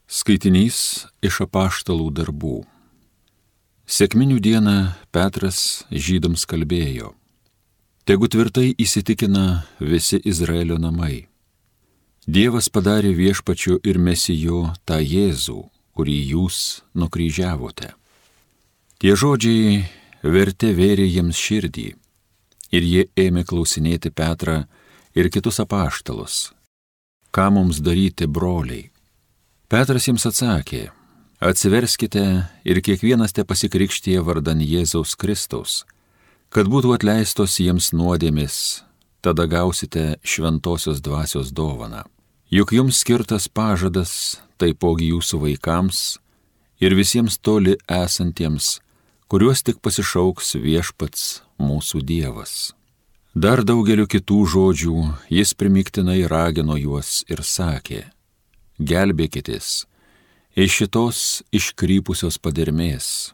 Skaitinys iš apaštalų darbų. Sekminių dieną Petras žydams kalbėjo: Tegu tvirtai įsitikina visi Izraelio namai. Dievas padarė viešpačiu ir mesiju tą Jėzų, kurį jūs nukryžiavote. Tie žodžiai vertė vėrė jiems širdį, ir jie ėmė klausinėti Petrą ir kitus apaštalus: Ką mums daryti, broliai? Petras jiems atsakė: Atsiverskite ir kiekvienas te pasikrikštija vardan Jėzaus Kristaus, kad būtų atleistos jiems nuodėmės, tada gausite šventosios dvasios dovaną. Juk jums skirtas pažadas, taipogi jūsų vaikams ir visiems toli esantiems, kuriuos tik pasišauks viešpats mūsų Dievas. Dar daugeliu kitų žodžių jis primygtinai ragino juos ir sakė: Gelbėkitės iš šitos iškrypusios padermės.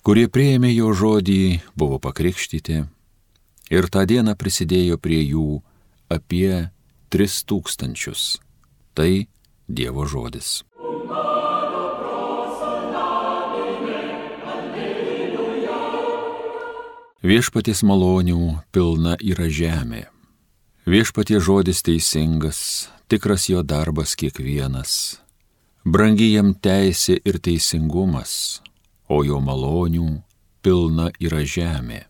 Kurie priėmė jo žodį, buvo pakrikštyti, ir tą dieną prisidėjo prie jų apie 3000. Tai Dievo žodis. Viešpaties malonių pilna yra žemė. Viešpaties žodis teisingas, tikras jo darbas kiekvienas. Brangi jam teisė ir teisingumas, o jo malonių pilna yra žemė.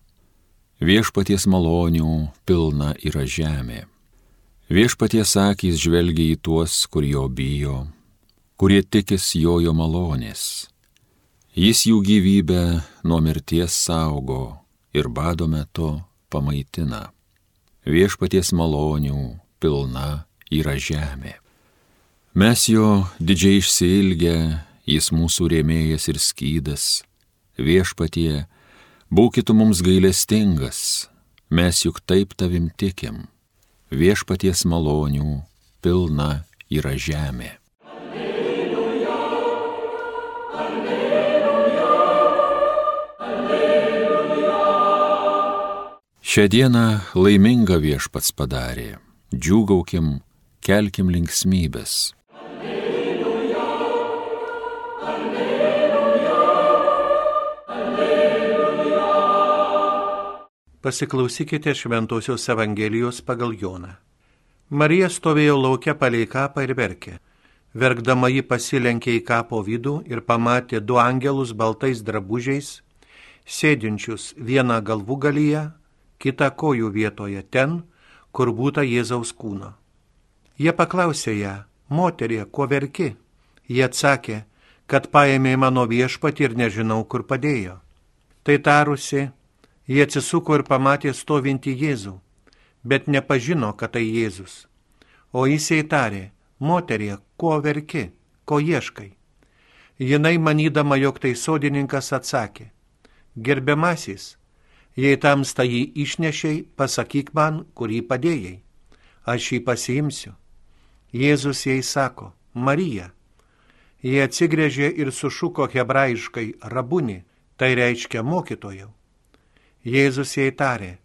Viešpaties malonių pilna yra žemė. Viešpaties akys žvelgia į tuos, kur jo bijo, kurie tikis jo malonės. Jis jų gyvybę nuo mirties saugo ir bado metu pamaitina. Viešpaties malonių pilna yra žemė. Mes jo didžiai išsiilgę, jis mūsų rėmėjas ir skydas. Viešpatie, būkit mums gailestingas, mes juk taip tavim tikim. Viešpaties malonių pilna yra žemė. Alleluja, alleluja, alleluja. Šią dieną laimingą viešpats padarė. Džiūgaukim, kelkim linksmybės. Alleluja, alleluja, alleluja. Pasiklausykite Šventosios Evangelijos pagal Joną. Marija stovėjo lauke palei kapą ir verkė. Verkdama ji pasilenkė į kapo vidų ir pamatė 2 angelus baltais drabužiais, sėdinčius vieną galvūgalyje, kitą kojų vietoje ten, kur būta Jėzaus kūno. Jie paklausė ją: Moterie, ko verki? Jie atsakė, kad paėmė mano viešpatį ir nežinau, kur padėjo. Tai tarusi, jie atsisuko ir pamatė stovintį Jėzų, bet nepažino, kad tai Jėzus. O jis jai tarė: Moterie, ko verki, ko ieškai? Jinai, manydama, jog tai sodininkas, atsakė: Gerbiamasis, jei tamsta jį išnešei, pasakyk man, kur jį padėjai. Aš jį pasiimsiu. Jėzus jai sako: Marija. Jie atsigręžė ir sušuko hebrajiškai: Rabuni, tai reiškia mokytojau. Jėzus jai tarė: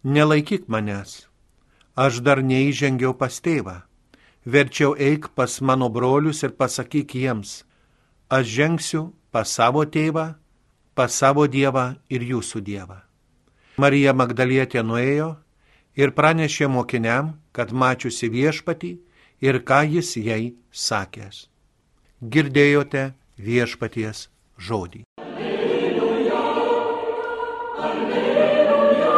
Nelaikyk manęs. Aš dar neįžengiau pas tėvą. Verčiau eik pas mano brolius ir pasakyk jiems: Aš žengsiu pas savo tėvą, pas savo Dievą ir jūsų Dievą. Marija Magdalietė nuėjo ir pranešė mokiniam, kad mačiusi viešpatį ir ką jis jai sakęs. Girdėjote viešpaties žodį. Alleluja, alleluja.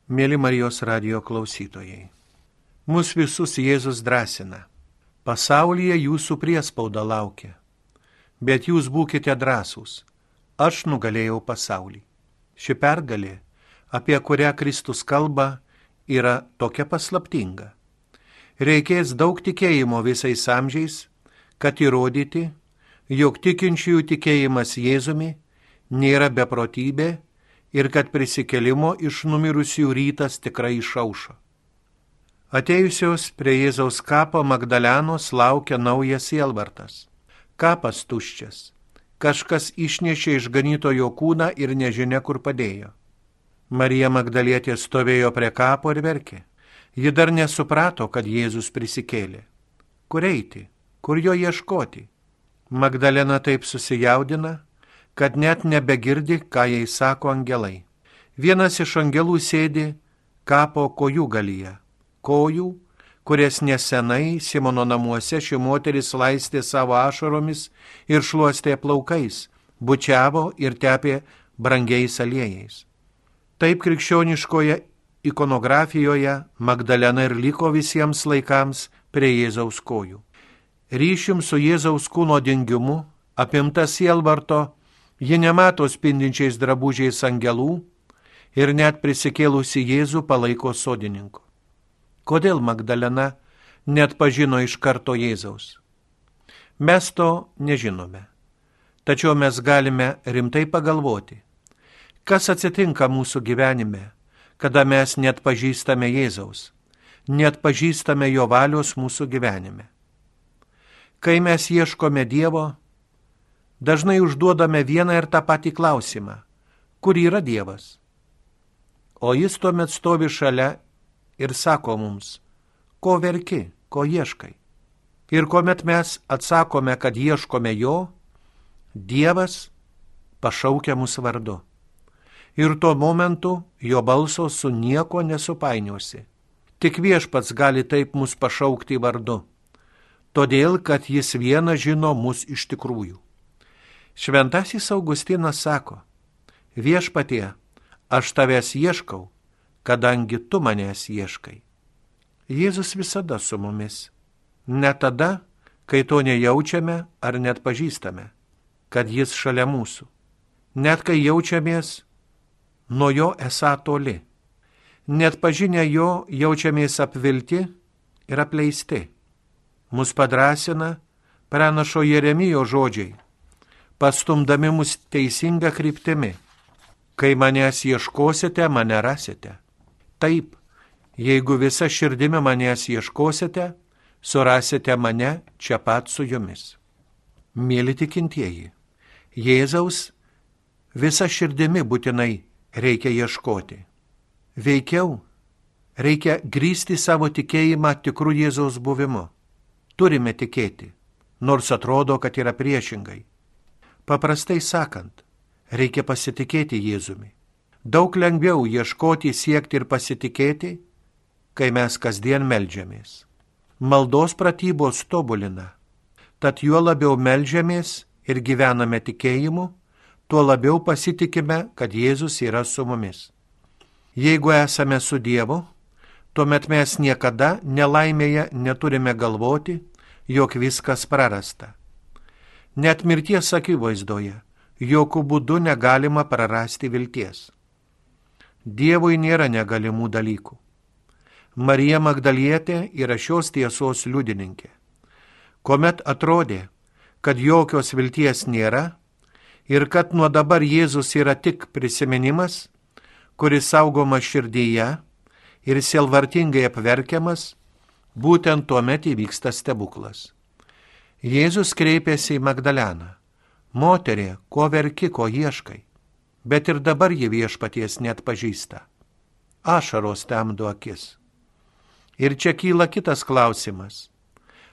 Mėly Marijos radijo klausytojai, mus visus Jėzus drąsina. Pasaulyje jūsų priespauda laukia, bet jūs būkite drąsūs. Aš nugalėjau pasaulį. Ši pergalė, apie kurią Kristus kalba, yra tokia paslaptinga. Reikės daug tikėjimo visais amžiais, kad įrodyti, jog tikinčiųjų tikėjimas Jėzumi nėra beprotybė ir kad prisikėlimo iš numirusių rytas tikrai išaušo. Atėjusios prie Jėzaus kapo Magdalenos laukia naujas sielvartas. Kapas tuščias. Kažkas išnešė išganytojo kūną ir nežinia, kur padėjo. Marija Magdalietė stovėjo prie kapo ir verkė. Ji dar nesuprato, kad Jėzus prisikėlė. Kur eiti, Kur jo ieškoti? Magdalena taip susijaudina, kad net nebegirdi, ką jai sako angelai. Vienas iš angelų sėdi kapo kojų galyje. Kojų, kurias nesenai Simono namuose ši moteris laistė savo ašaromis ir šluostė plaukais, bučiavo ir tepė brangiais aliejais. Taip krikščioniškoje ikonografijoje Magdalena ir liko visiems laikams prie Jėzaus kojų. Ryšium su Jėzaus kūno dingimu, apimta sielvarto, ji nemato spindinčiais drabužiais angelų ir net prisikėlusi Jėzų palaiko sodininku. Kodėl Magdalena net pažino iš karto Jėzaus? Mes to nežinome. Tačiau mes galime rimtai pagalvoti, kas atsitinka mūsų gyvenime, kada mes net pažįstame Jėzaus, net pažįstame jo valios mūsų gyvenime. Kai mes ieškome Dievo, dažnai užduodame vieną ir tą patį klausimą, kur yra Dievas? O jis tuomet stovi šalia ir sako mums, ko verki, ko ieškai. Ir kuomet mes atsakome, kad ieškome jo, Dievas pašaukia mus vardu. Ir tuo momentu jo balso su nieko nesupainiosi. Tik Viešpats gali taip mus pašaukti vardu, todėl, kad jis vienas žino mus iš tikrųjų. Šventasis Augustinas sako, Viešpatie, aš tavęs ieškau, kadangi tu manęs ieškai. Jėzus visada su mumis. Ne tada, kai to nejaučiame ar net pažįstame, kad jis šalia mūsų. Net kai jaučiamės nuo jo esą toli. Net pažinę jo jaučiamės apvilti ir apleisti. Mus padrąsina pranašo Jeremijo žodžiai, pastumdami mus teisinga kryptimi. Kai manęs ieškosite, mane rasite. Taip, jeigu visa širdimi manęs ieškosite, surasite mane čia pat su jumis. Mėly tikintieji, Jėzaus visa širdimi būtinai reikia ieškoti. Veikiau reikia grįsti savo tikėjimą tikrų Jėzaus buvimu. Turime tikėti, nors atrodo, kad yra priešingai. Paprastai sakant, reikia pasitikėti Jėzumi. Daug lengviau ieškoti, siekti ir pasitikėti, kai mes kasdien meldžiamės. Maldos pratybos tobulina, tad juo labiau meldžiamės ir gyvename tikėjimu, tuo labiau pasitikime, kad Jėzus yra su mumis. Jeigu esame su Dievu, tuomet mes niekada nelaimėje neturime galvoti, jog viskas prarasta. Net mirties akivaizdoje, jokių būdų negalima prarasti vilties. Dievui nėra negalimų dalykų. Marija Magdalietė yra šios tiesos liudininkė. Kuomet atrodė, kad jokios vilties nėra ir kad nuo dabar Jėzus yra tik prisiminimas, kuris saugomas širdyje ir sielvartingai apverkiamas, būtent tuomet įvyksta stebuklas. Jėzus kreipėsi į Magdaleną. Moterie, ko verki, ko ieškai? Bet ir dabar ji Viešpaties net pažįsta. Ašaros temdo akis. Ir čia kyla kitas klausimas.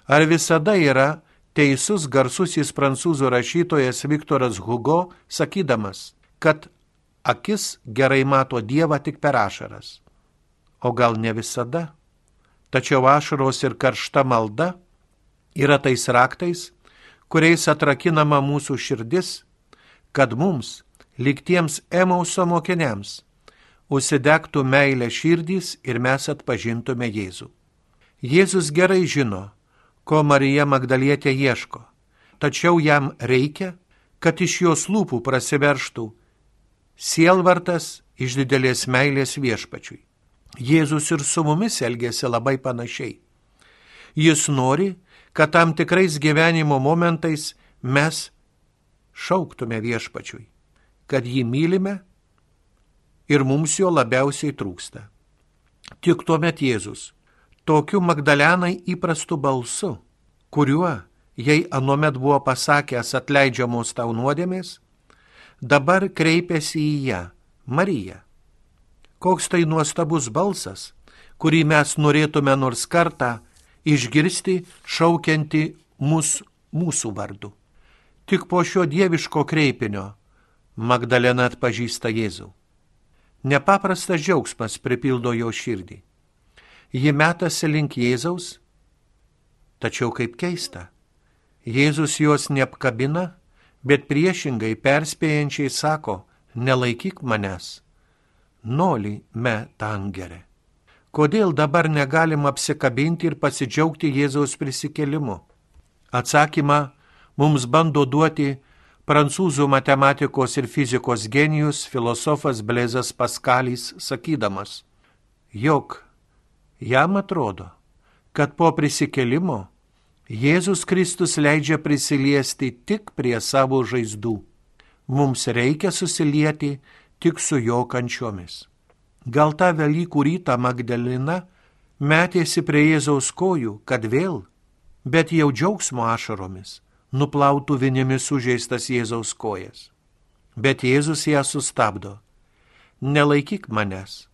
Ar visada yra teisus garsusis prancūzų rašytojas Viktoras Hugo, sakydamas, kad akis gerai mato Dievą tik per ašaras? O gal ne visada? Tačiau ašaros ir karšta malda yra tais raktais, kuriais atrakinama mūsų širdis, kad mums, lyg tiems Emauso mokiniams, užsidegtų meilė širdys ir mes atpažintume Jėzų. Jėzus gerai žino, ko Marija Magdalietė ieško, tačiau jam reikia, kad iš jos lūpų prasiverštų sielvartas iš didelės meilės Viešpačiui. Jėzus ir su mumis elgėsi labai panašiai. Jis nori, kad tam tikrais gyvenimo momentais mes šauktume Viešpačiui, kad jį mylime ir mums jo labiausiai trūksta. Tik tuomet Jėzus, tokiu Magdalenai įprastu balsu, kuriuo jai anuomet buvo pasakęs atleidžiamos tau nuodėmės, dabar kreipiasi į ją, Mariją. Koks tai nuostabus balsas, kurį mes norėtume nors kartą išgirsti šaukiantį mūsų vardu. Tik po šio dieviško kreipinio Magdalena atpažįsta Jėzų. Nepaprastas džiaugsmas pripildo jo širdį. Ji metasi link Jėzaus, tačiau kaip keista, Jėzus jos neapkabina, bet priešingai perspėjančiai sako, nelaikyk manęs, noli me tangere. Kodėl dabar negalim apsikabinti ir pasidžiaugti Jėzaus prisikėlimu? Atsakymą mums bando duoti prancūzų matematikos ir fizikos genijus filosofas Blaizas Paskalis, sakydamas, jog jam atrodo, kad po prisikėlimo Jėzus Kristus leidžia prisiliesti tik prie savo žaizdų. Mums reikia susilieti tik su jo kančiomis. Gal tą Velykų rytą Magdalena metėsi prie Jėzaus kojų, kad vėl, bet jau džiaugsmo ašaromis, nuplautų vinimis sužeistas Jėzaus kojas. Bet Jėzus ją sustabdo. Nelaikyk manęs,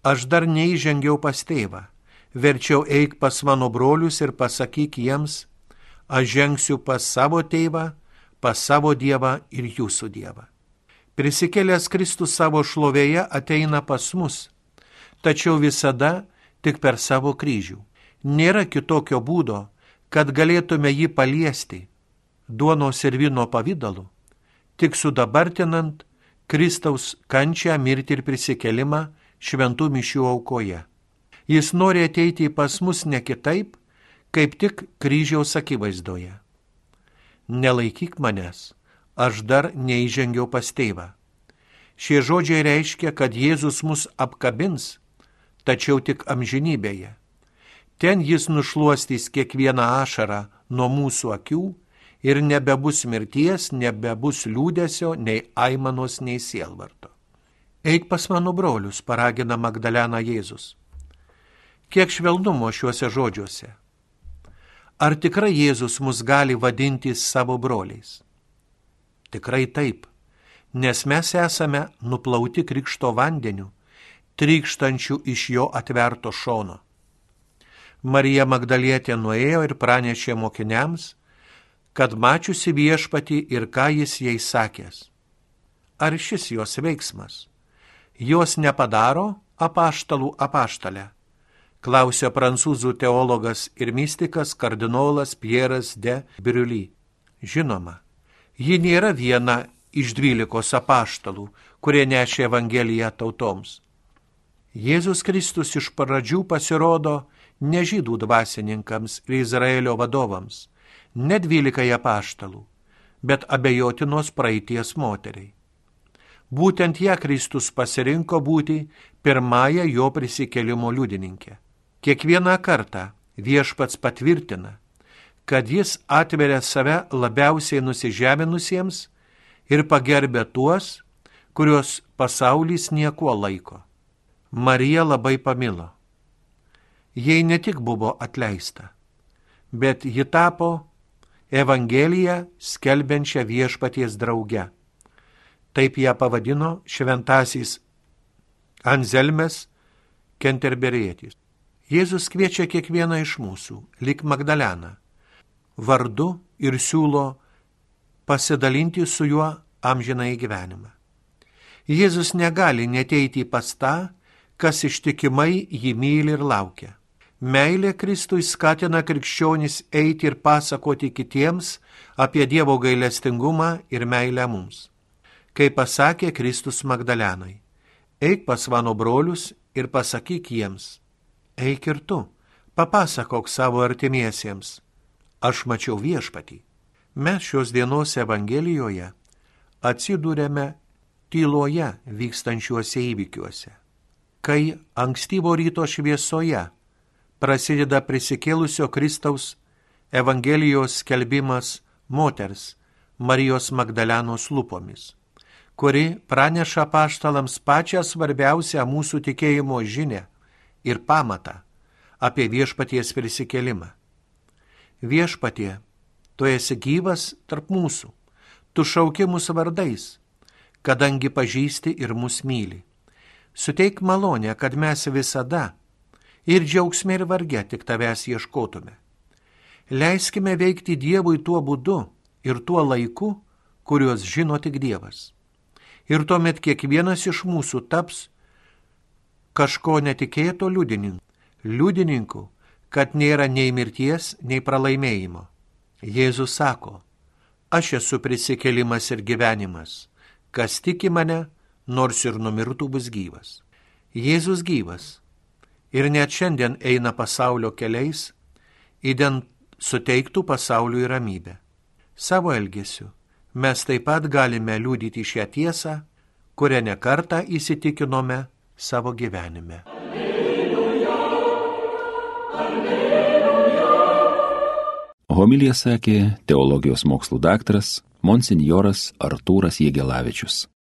aš dar neįžengiau pas tėvą, verčiau eik pas mano brolius ir pasakyk jiems, aš žengsiu pas savo tėvą, pas savo Dievą ir jūsų Dievą. Prisikėlęs Kristus savo šlovėje ateina pas mus, tačiau visada tik per savo kryžių. Nėra kitokio būdo, kad galėtume jį paliesti duonos ir vyno pavidalu, tik sudabartinant Kristaus kančią, mirtį ir prisikėlimą šventų mišių aukoje. Jis nori ateiti pas mus ne kitaip, kaip tik kryžiaus akivaizdoje. Nelaikyk manęs, aš dar neįžengiau pas tėvą. Šie žodžiai reiškia, kad Jėzus mus apkabins, tačiau tik amžinybėje. Ten jis nušluostys kiekvieną ašarą nuo mūsų akių ir nebebus mirties, nebebus liūdesio, nei aimanos, nei sielvarto. Eik pas mano brolius, paragina Magdalena Jėzus. Kiek švelnumo šiuose žodžiuose. Ar tikrai Jėzus mus gali vadinti savo broliais? Tikrai taip, nes mes esame nuplauti krikšto vandeniu, trykštančių iš jo atverto šono. Marija Magdalietė nuėjo ir pranešė mokiniams, kad mačiusi viešpatį ir ką jis jai sakęs. Ar šis jos veiksmas? Jos nepadaro apaštalų apaštalę? Klausė prancūzų teologas ir mistikas kardinolas Pieras de Brully. Žinoma, ji nėra viena iš 12 apaštalų, kurie nešė Evangeliją tautoms. Jėzus Kristus iš pradžių pasirodo ne žydų dvasininkams ir Izraelio vadovams, ne 12 apaštalų, bet abejotinos praeities moteriai. Būtent ją Kristus pasirinko būti pirmąją jo prisikėlimo liudininkė. Kiekvieną kartą viešpats patvirtina, kad jis atveria save labiausiai nusižeminusiems ir pagerbia tuos, kuriuos pasaulis niekuo laiko. Marija labai pamilo. Jai ne tik buvo atleista, bet ji tapo Evangeliją skelbiančią viešpaties drauge. Taip ją pavadino šventasis Anzelmas Kenterberietis. Jėzus kviečia kiekvieną iš mūsų, lyg Magdaleną, vardu ir siūlo pasidalinti su juo amžinąjį gyvenimą. Jėzus negali neteiti pas tą, kas ištikimai jį myli ir laukia. Meilė Kristui skatina krikščionis eiti ir pasakoti kitiems apie Dievo gailestingumą ir meilę mums. Kaip pasakė Kristus Magdalenai, eik pas mano brolius ir pasakyk jiems, eik ir tu, papasakok savo artimiesiems, aš mačiau viešpatį. Mes šios dienos Evangelijoje atsidūrėme tyloje vykstančiuose įvykiuose. Kai ankstyvo ryto šviesoje prasideda prisikėlusio Kristaus Evangelijos skelbimas moters Marijos Magdalenos lūpomis, kuri praneša apaštalams pačią svarbiausią mūsų tikėjimo žinią ir pamatą apie viešpaties prisikėlimą. Viešpatie, tu esi gyvas tarp mūsų, tu šauki mus vardais, kadangi pažįsti ir mus myli. Suteik malonę, kad mes visada ir džiaugsme ir varge tik tavęs ieškotume. Leiskime veikti Dievui tuo būdu ir tuo laiku, kuriuos žino tik Dievas. Ir tuomet kiekvienas iš mūsų taps kažko netikėto liudininku, kad nėra nei mirties, nei pralaimėjimo. Jėzus sako, aš esu prisikėlimas ir gyvenimas. Kas tiki mane, nors ir numirtų, bus gyvas. Jėzus gyvas ir net šiandien eina pasaulio keliais, idant suteiktų pasauliui ramybę. Savo elgesiu mes taip pat galime liudyti šią tiesą, kurią nekartą įsitikinome savo gyvenime. Homiliją sakė teologijos mokslų daktaras monsinjoras Artūras Jegelavičius.